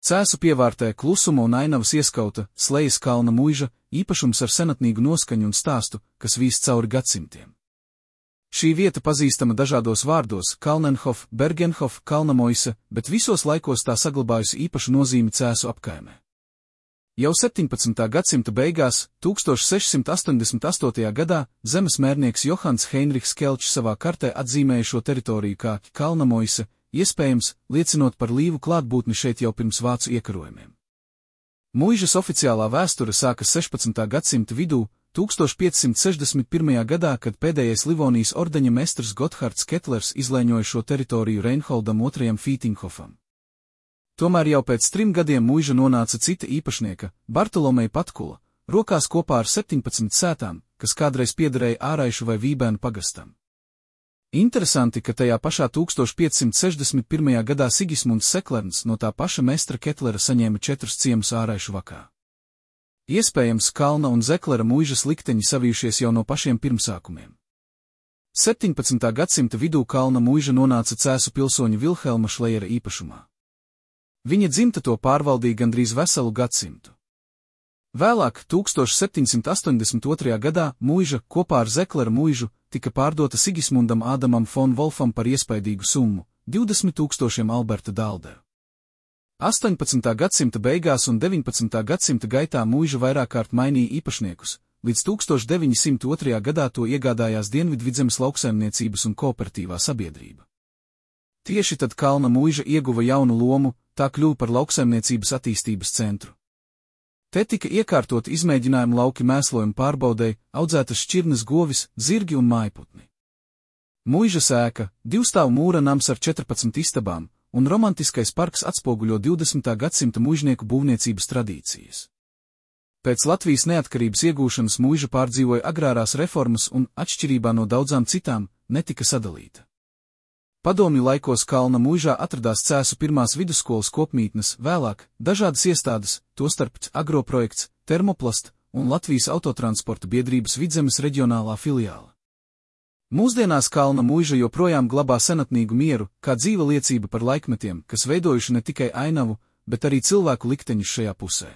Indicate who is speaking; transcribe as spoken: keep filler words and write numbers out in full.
Speaker 1: Cēsu pievārtē klusuma un ainavas ieskauta Slejas kalna muiža, īpašums ar senatnīgu noskaņu un stāstu, kas vīst cauri gadsimtiem. Šī vieta pazīstama dažādos vārdos - Kalnenhof, Bergenhof, Kalnamoise, bet visos laikos tā saglabājusi īpašu nozīmi Cēsu apkaimē. Jau septiņpadsmitā gadsimta beigās, tūkstoš sešsimt astoņdesmit astotajā gadā, zemes mērnieks Johans Heinrichs Kelčs savā kartē atzīmēja šo teritoriju kā Kalnamoise, iespējams, liecinot par līvu klātbūtni šeit jau pirms vācu iekarojumiem. Muižas oficiālā vēsture sākas sešpadsmitā gadsimta vidū, tūkstoš piecsimt sešdesmit pirmajā gadā, kad pēdējais Livonijas ordeņa mestrs Gothards Ketlers izlēņoja šo teritoriju Reinholdam otrajam Fītinghofam. Tomēr jau pēc trim gadiem muiža nonāca cita īpašnieka, Bartolomeja Patkula, rokās kopā ar septiņpadsmit sētām, kas kādreiz piederēja Āraišu vai Vībēnu pagastam. Interesanti, ka tajā pašā tūkstoš piecsimt sešdesmit pirmajā gadā Sigismunds Seklerns no tā paša mestra Ketlera saņēma četrus ciemus Āraišu vakā. Iespējams, Kalna un Zeklera muižas likteņi savijušies jau no pašiem pirmsākumiem. septiņpadsmitā gadsimta vidū Kalna muiža nonāca Cēsu pilsoņa Vilhelma Šlejera īpašumā. Viņa dzimta to pārvaldīja gandrīz veselu gadsimtu. Vēlāk, tūkstoš septiņsimt astoņdesmit otrajā gadā, muiža, kopā ar Zeklera muižu, tika pārdota Sigismundam Ādamam fon Wolfam par iespaidīgu summu – divdesmit tūkstošiem Alberta Dalderu. astoņpadsmitā gadsimta beigās un deviņpadsmitā gadsimta gaitā muiža vairāk kārt mainīja īpašniekus, līdz tūkstoš deviņi simti otrajā gadā to iegādājās Dienvidvidzemes lauksaimniecības un kooperatīvā sabiedrība. Tieši tad Kalna muiža ieguva jaunu lomu, tā kļuva par lauksaimniecības attīstības centru. Te tika iekārtoti izmēģinājumu lauki mēslojumu pārbaudei, audzētas šķirnes govis, zirgi un mājputni. Muižas ēka, divstāvu mūra nams ar četrpadsmit istabām, un romantiskais parks atspoguļo divdesmitā gadsimta muižnieku būvniecības tradīcijas. Pēc Latvijas neatkarības iegūšanas muiža pārdzīvoja agrārās reformas un, atšķirībā no daudzām citām, netika sadalīta. Padomju laikos Kalna muižā atradās Cēsu pirmās vidusskolas kopmītnes, vēlāk dažādas iestādes, tostarp agroprojekts, Termoplast un Latvijas autotransporta biedrības Vidzemes reģionālā filiāla. Mūsdienās Kalna muiža joprojām glabā senatnīgu mieru, kā dzīva liecība par laikmetiem, kas veidojuši ne tikai ainavu, bet arī cilvēku likteņus šajā pusē.